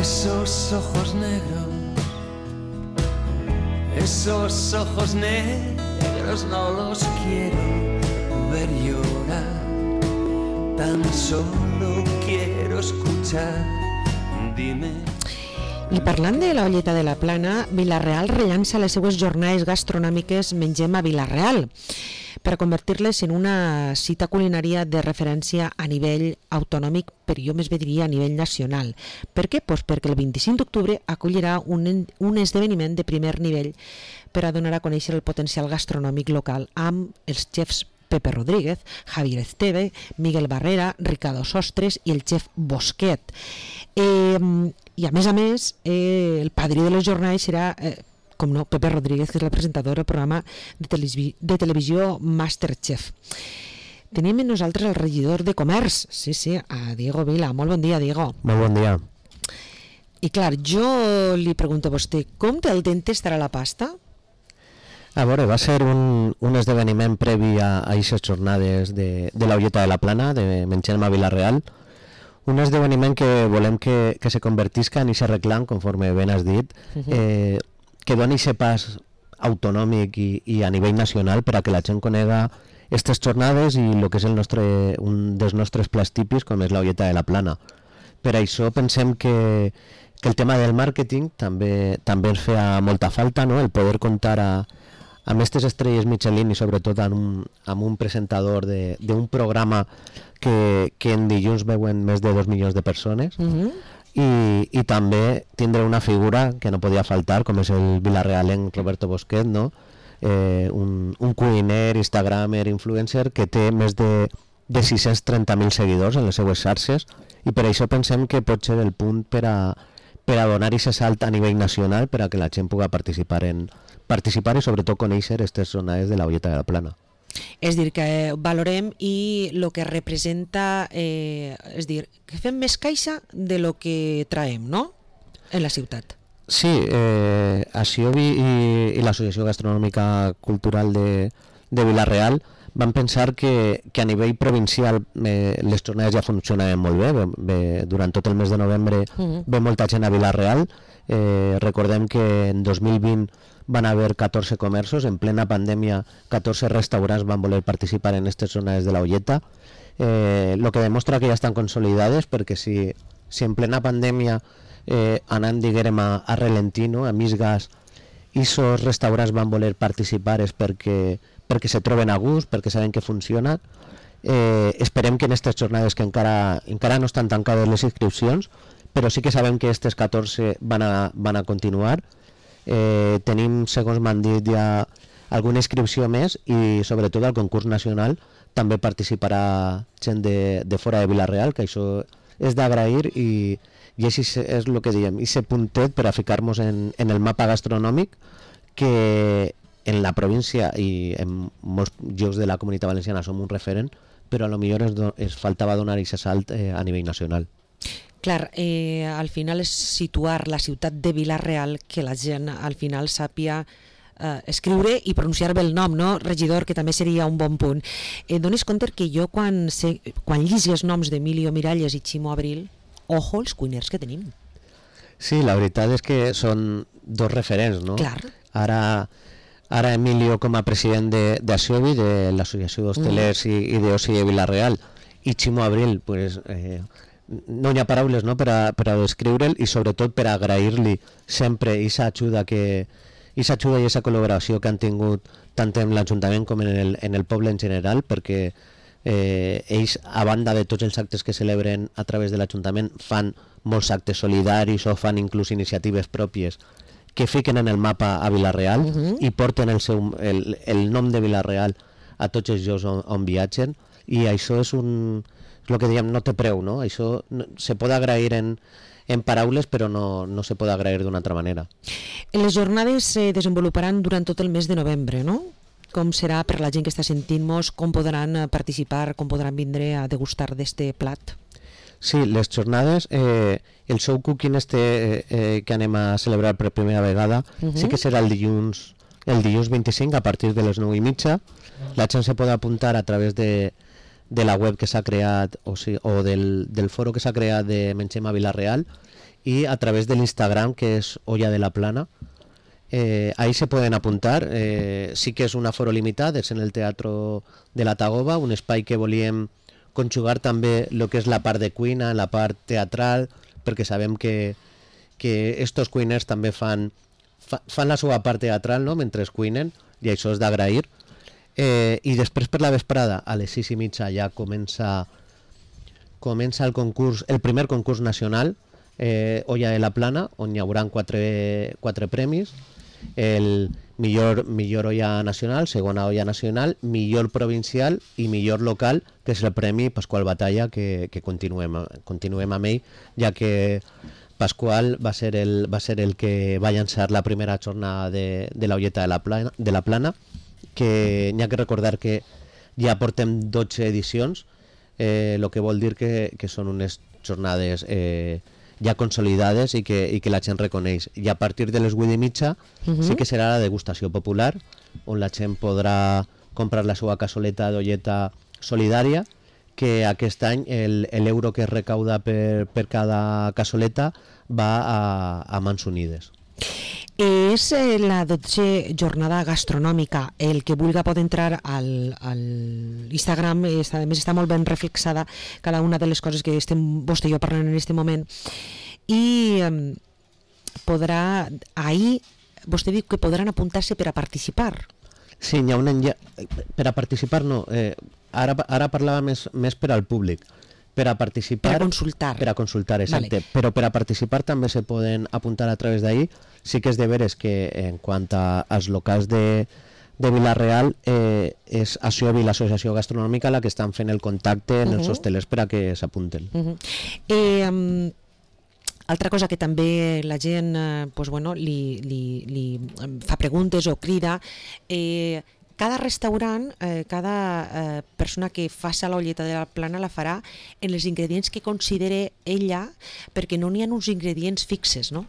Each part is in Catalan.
Esos ojos negros, esos ojos negros no los quiero ver llorar, tan solo quiero escuchar, dime. I parlant de la Olleta de la Plana, Vila-real rellança les seues jornades gastronòmiques Mengem a Vila-real per a convertir-les en una cita culinària de referència a nivell autonòmic, però jo més bé diria a nivell nacional. Per què? Pues perquè el 25 d'octubre acollirà un esdeveniment de primer nivell per a donar a conèixer el potencial gastronòmic local amb els xefs Pepe Rodríguez, Javier Esteve, Miguel Barrera, Ricardo Sostres i el xef Bosquet. I a més, el padrí de les jornades serà, com no, Pepe Rodríguez, que és el presentador del programa de televisió Masterchef. Tenim amb nosaltres el regidor de Comerç, sí, a Diego Vila. Molt bon dia, Diego. Molt bon dia. I clar, jo li pregunto a vostè, com del dente estarà la pasta? A veure, va ser un esdeveniment previ a aquestes jornades de la Olleta de la Plana, de Mengem a Vila-real, un esdeveniment que volem que se convertisca en aquest reclam, conforme ben has dit, que doni aquest pas autonòmic i a nivell nacional per a que la gent conega aquestes jornades i el que és un dels nostres plats típics, com és la Olleta de la Plana. Per això pensem que el tema del màrqueting també ens feia molta falta, no? El poder comptar amb aquestes estrelles Michelin i sobretot amb un presentador d'un programa que en dilluns veuen més de 2 milions de persones i també tindre una figura que no podia faltar, com és el vilarealenc Roberto Bosquet, no? Un cuiner, instagramer, influencer que té més de 630.000 seguidors en les seues xarxes i per això pensem que pot ser el punt per a donar aquest salt a nivell nacional per a que la gent pugui participar i sobretot conèixer aquestes jornades de la Olleta de la Plana. És dir, que valorem i el que representa, és dir, que fem més caixa de lo que traiem, no?, en la ciutat. Sí, Asiobi i l'Associació Gastronòmica Cultural de Vila-real van pensar que a nivell provincial les jornades ja funcionaven molt bé. Durant tot el mes de novembre ve molta gent a Vila-real. Recordem que en 2020 van haver 14 comerços, en plena pandèmia 14 restaurants van voler participar en aquestes jornades de la Olleta, el que demostra que ja estan consolidades, perquè si en plena pandèmia anant, diguem, a ralentí, no? A mig gas, i aquests restaurants van voler participar és perquè se troben a gust, perquè saben que funciona. Esperem que en aquestes jornades, que encara no estan tancades les inscripcions, però sí que sabem que aquestes 14 van a continuar. Tenim, segons m'han dit, ja alguna inscripció més i sobretot al concurs nacional també participarà gent de fora de Vila-real, que això és d'agrair i així és el que diem, aquest puntet per a ficar-nos en el mapa gastronòmic que en la província i en molts llocs de la Comunitat Valenciana som un referent, però a lo millor es faltava donar aquest salt a nivell nacional. Clar, al final és situar la ciutat de Vila-real, que la gent al final sàpia escriure i pronunciar bé el nom, no, regidor, que també seria un bon punt. Donis compte que jo quan llisc els noms d'Emilio Miralles i Ximo Abril, ojo els cuiners que tenim. Sí, la veritat és que són dos referents, no? Clar. Ara Emilio com a president d'Asiobi, de l'Associació d'Hostelers i d'Oci de Vila-real, i Ximo Abril, pues, no hi ha paraules, no, per a descriure'l i sobretot per a agrair-li sempre aquesta ajuda i aquesta col·laboració que han tingut tant en l'Ajuntament com en el poble en general, perquè ells, a banda de tots els actes que celebren a través de l'Ajuntament, fan molts actes solidaris o fan inclús iniciatives pròpies que fiquen en el mapa a Vila-real i porten el nom de Vila-real a tots els llocs on viatgen, i això és el que diem, no té preu, no? Això se pot agrair en paraules, però no se pot agrair d'una altra manera. Les jornades se desenvoluparan durant tot el mes de novembre, no? Com serà per la gent que està sentint-nos, com podran participar, com podran vindre a degustar d'este plat? Sí, les jornades, el show cooking que anem a celebrar per primera vegada, sí que serà el dilluns 25 a partir de les 9:30. La gent se pot apuntar a través de la web que s'ha creat o del foro que s'ha creat de Mengem a Vila-real, y a través del Instagram, que es Olla de la Plana. Ahí se pueden apuntar. Sí que és un aforo limitat, és en el Teatro de la Tagoba, un espai que volíem conjugar també el que és la part de cuina, la part teatral, perquè sabem que estos cuiners també fan la seva part teatral, no?, mentre cuinen, i això és d'agrair. I després per la vesprada, a les 6:30, ja comença el concurs, el primer concurs nacional, Olla de la Plana, on hi haurà quatre premis: el millor olla nacional, segona olla nacional, millor provincial i millor local, que és el premi Pasqual Batalla, que continuem amb ell, ja que Pasqual va ser el que va llançar la primera jornada de la Olleta de la Plana, que n'hi ha que recordar que ja portem 12 edicions, el que vol dir que són unes jornades ja consolidades i que la gent reconeix. I a partir de les 8:30 sí que serà la degustació popular, on la gent podrà comprar la seva cassoleta d'olleta solidària, que aquest any l'euro que es recauda per cada cassoleta va a Mans Unides. És la 12a jornada gastronòmica. El que vulga pot entrar al Instagram, a més està molt ben reflexada cada una de les coses que estem vostè i jo parlant en aquest moment, i podrà, ahir vostè diu que podran apuntar-se per a participar. Sí, n'hi ha un per a participar no, ara parlava més per al públic. Per a participar... Per a consultar. Per a consultar, exacte. Vale. Però per a participar també se poden apuntar a través d'ahir. Sí que és de veres que en quant als locals de Vila-real, és ASIOBI, l'Associació Gastronòmica, la que estan fent el contacte en els hostelers per a que s'apunten. Altra cosa que també la gent li fa preguntes o crida, cada restaurant, cada persona que faci l'olleta de la Plana la farà en els ingredients que considere ella, perquè no n'hi ha uns ingredients fixes, no?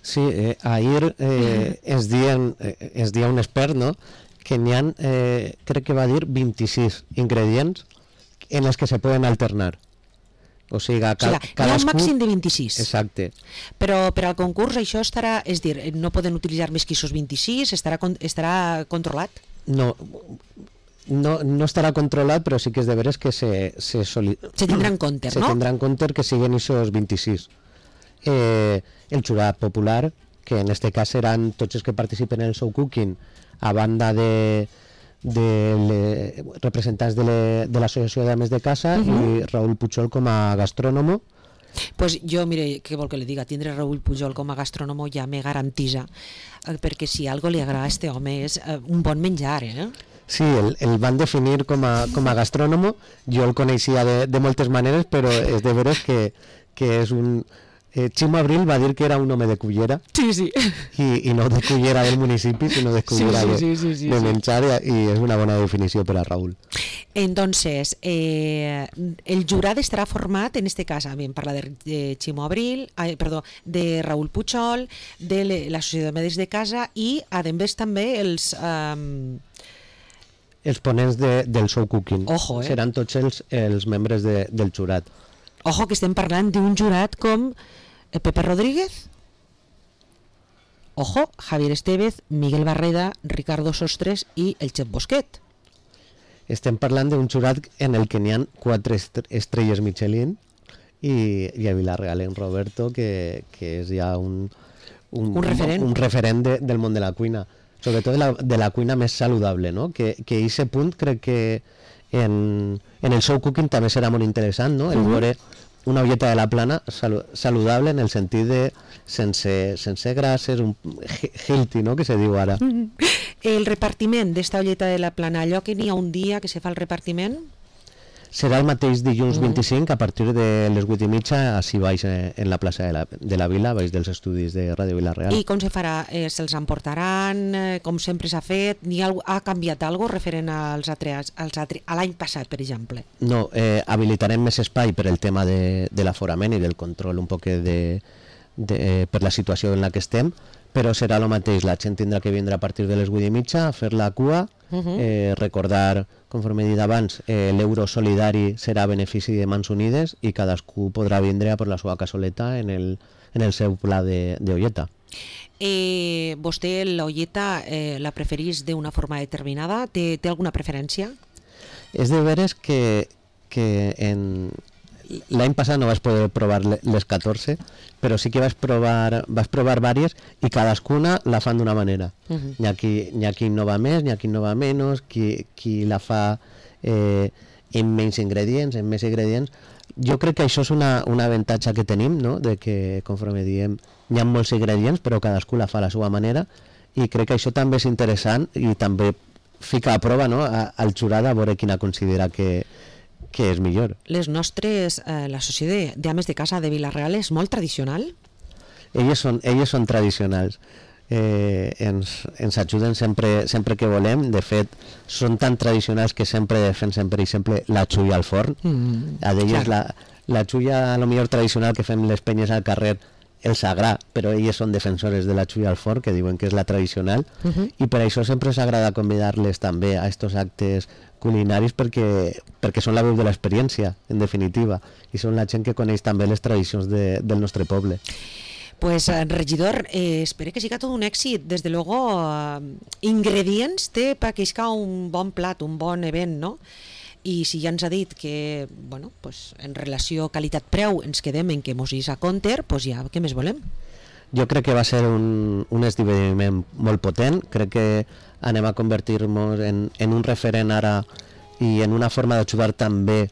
Sí, ahir es dia un expert, no?, que n'hi ha, crec que va dir 26 ingredients en els que se poden alternar. O sigui, n'hi ha un màxim de 26. Exacte. Però per al concurs això estarà, és dir, no poden utilitzar més que aquests 26, estarà controlat? No estarà controlat, però sí que és de veres que se tindrà en compte, no? Se tindrà en compte que siguin aquests 26. El jurat popular, que en este cas seran tots els que participen en el show cooking, a banda de representants de l'Associació d'Ames de Casa i Raúl Pujol com a gastrònomo. Pues jo, mire, què vol que li diga, tindre Raúl Pujol com a gastrònomo ja me garantisa, perquè si algo li agrada a este home és un bon menjar, Sí, el van definir com a gastrònomo. Jo el coneixia de moltes maneres, però és de veres que és un... Ximo Abril va dir que era un home de cullera. Sí. I no de cullera del municipi, sinó de cullera de menjar, i és una bona definició per a Raúl. Entonces, el jurat estarà format, en este cas, parla de Ximo Abril, de Raúl Pujol, de l'Associació de Medis de Casa i, a més, també els ponents del show cooking. Ojo, seran tots els membres del jurat. Ojo, que estem parlant d'un jurat com Pepe Rodríguez, ojo, Javier Estevez, Miguel Barreda, Ricardo Sostres i el Xef Bosquet. Estem parlant d'un jurat en el que n'hi ha 4 estrelles Michelin i a Vila-real en Roberto, que és ja un referent del món de la cuina, sobretot de la cuina més saludable, no? Que aquest punt crec que en el show cooking també serà molt interessant, no? El veure una olleta de la Plana saludable en el sentit de sense grasses, un healthy, no?, que se diu ara. El repartiment d'esta olleta de la Plana, allò que n'hi ha un dia que se fa el repartiment? Serà el mateix dilluns 25 a partir de les 8:30 així baix en la plaça de la Vila, baix dels estudis de Ràdio Vila-real. I com se farà? Se'ls emportaran? Com sempre s'ha fet? Ha canviat alguna cosa referent a l'any passat, per exemple? No, habilitarem més espai per el tema de l'aforament i del control un poc per la situació en la que estem, però serà el mateix, la gent tindrà que vindre a partir de les 8:30 a fer la cua, recordar, conforme he dit abans, l'euro solidari serà a benefici de Mans Unides i cadascú podrà vindre a per la seva cassoleta en el en el seu pla d'olleta. Vostè l'olleta la preferís d'una forma determinada? Té alguna preferència? És de veres que l'any passat no vas poder provar les 14, però sí que vas provar diverses i cadascuna la fan d'una manera. Hi ha qui innova més, hi ha qui innova menys, qui la fa amb menys ingredients, amb més ingredients. Jo crec que això és un avantatge que tenim, no? De que, conforme diem, hi ha molts ingredients, però cadascú la fa a la seva manera, i crec que això també és interessant i també fica a prova, no? Al jurat a veure quina considera que és millor. L'associació d'ames de casa de Vila-real és molt tradicional? Elles són tradicionals. Ens ajuden sempre que volem. De fet, són tan tradicionals que sempre defensen, per exemple, la xulla al forn. A d'elles la xulla, a lo millor tradicional que fem les penyes al carrer, el sagrà, però elles són defensores de la xulla al forn, que diuen que és la tradicional, i per això sempre ens agrada convidar-les també a estos actes culinaris perquè són la veu de l'experiència, en definitiva, i són la gent que coneix també les tradicions del nostre poble. Pues, regidor, espero que siga tot un èxit. Desde luego, ingredients té perquè isca un bon plat, un bon event, no? I si ja ens ha dit que, bueno, pues, en relació qualitat-preu ens quedem en que mos is a compte, pues ja, què més volem? Jo crec que va ser un esdeveniment molt potent. Crec que anem a convertir-nos en un referent ara i en una forma d'ajudar també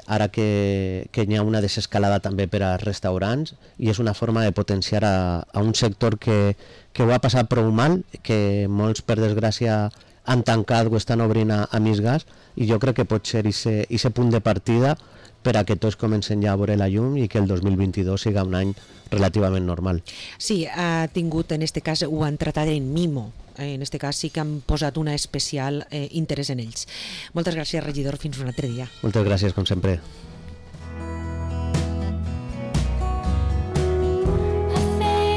ara que hi ha una desescalada també per als restaurants, i és una forma de potenciar a un sector que ho ha passat prou mal, que molts, per desgràcia, han tancat o estan obrint a mig gas, i jo crec que pot ser aquest punt de partida per a que tots comencen ja a veure la llum i que el 2022 siga un any relativament normal. Sí, ha tingut, en este cas, ho han tratat en mimo. En este cas sí que han posat un especial interès en ells. Moltes gràcies, regidor. Fins un altre dia. Moltes gràcies, com sempre.